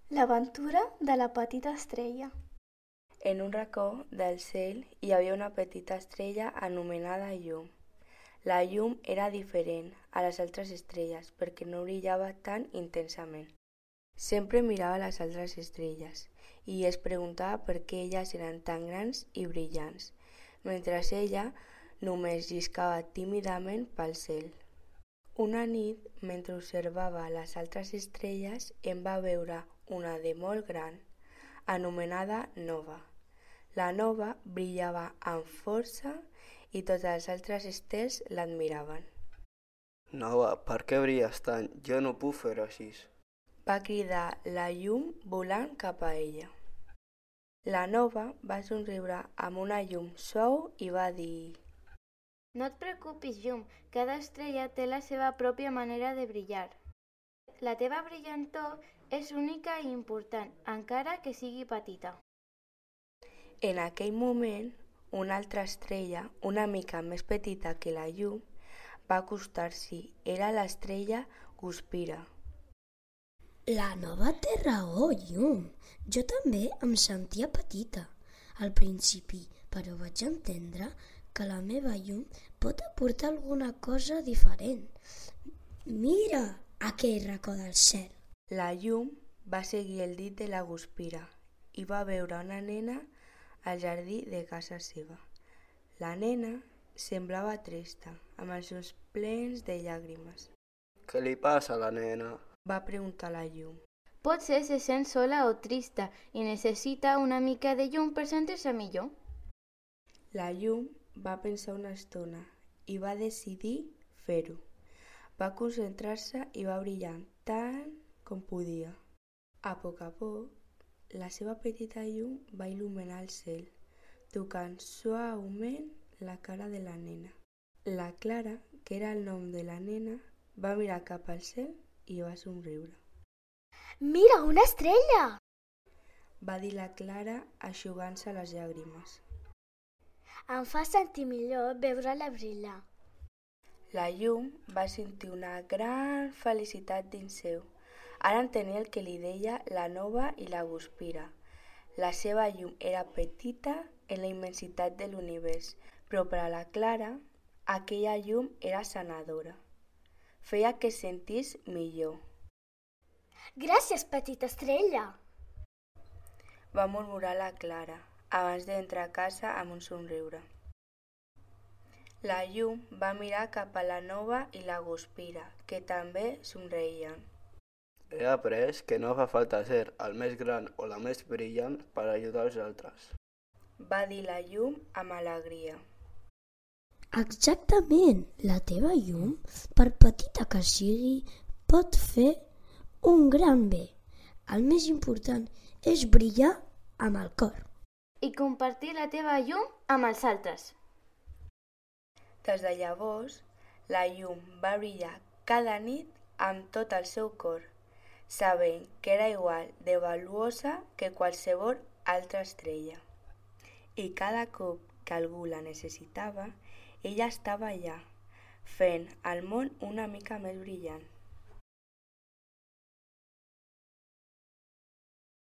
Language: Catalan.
L'aventura de la petita estrella. En un racó del cel hi havia una petita estrella anomenada llum. La llum era diferent a les altres estrelles perquè no brillava tan intensament. Sempre mirava les altres estrelles i es preguntava per què elles eren tan grans i brillants, mentre ella només lliscava tímidament pel cel. Una nit, mentre observava les altres estrelles, en va veure una de molt gran, anomenada Nova. La Nova brillava amb força i totes les altres estels l'admiraven. Nova, per què brilles tant? Jo no puc fer així. Va cridar la llum volant cap a ella. La Nova va somriure amb una llum suau i va dir: No et preocupis, llum, cada estrella té la seva pròpia manera de brillar. La teva brillantor és única i important, encara que sigui petita. En aquell moment, una altra estrella, una mica més petita que la llum, va acostar-s'hi. Era l'estrella Guspira. La Nova té raó, llum. Jo també em sentia petita al principi, però vaig entendre que la meva llum pot aportar alguna cosa diferent. Mira aquell racó del cel. La llum va seguir el dit de la Guspira i va veure una nena al jardí de casa seva. La nena semblava trista, amb els ulls plens de llàgrimes. Què li passa a la nena? Va preguntar la llum. Potser se sent sola o trista i necessita una mica de llum per sentir-se millor. La llum va pensar una estona i va decidir fer-ho. Va concentrar-se i va brillar tant com podia. A poc, la seva petita llum va il·luminar el cel, tocant suaument la cara de la nena. La Clara, que era el nom de la nena, va mirar cap al cel i va somriure. Mira, una estrella! Va dir la Clara eixugant-se les llàgrimes. Em fa sentir millor veure-la brillar. La llum va sentir una gran felicitat dins seu. Ara entenia el que li deia la Nova i la Guspira. La seva llum era petita en la immensitat de l'univers, però per a la Clara aquella llum era sanadora. Feia que es sentís millor. Gràcies, petita estrella! Va murmurar la Clara abans d'entrar a casa amb un somriure. La llum va mirar cap a la Nova i la Guspira, que també somreien. He après que no fa falta ser el més gran o la més brillant per ajudar els altres. Va dir la llum amb alegria. Exactament, la teva llum, per petita que sigui, pot fer un gran bé. El més important és brillar amb el cor. I compartir la teva llum amb els altres. Des de llavors, la llum va brillar cada nit amb tot el seu cor, sabent que era igual de valuosa que qualsevol altra estrella. I cada cop que algú la necessitava, ella estava allà, fent el món una mica més brillant.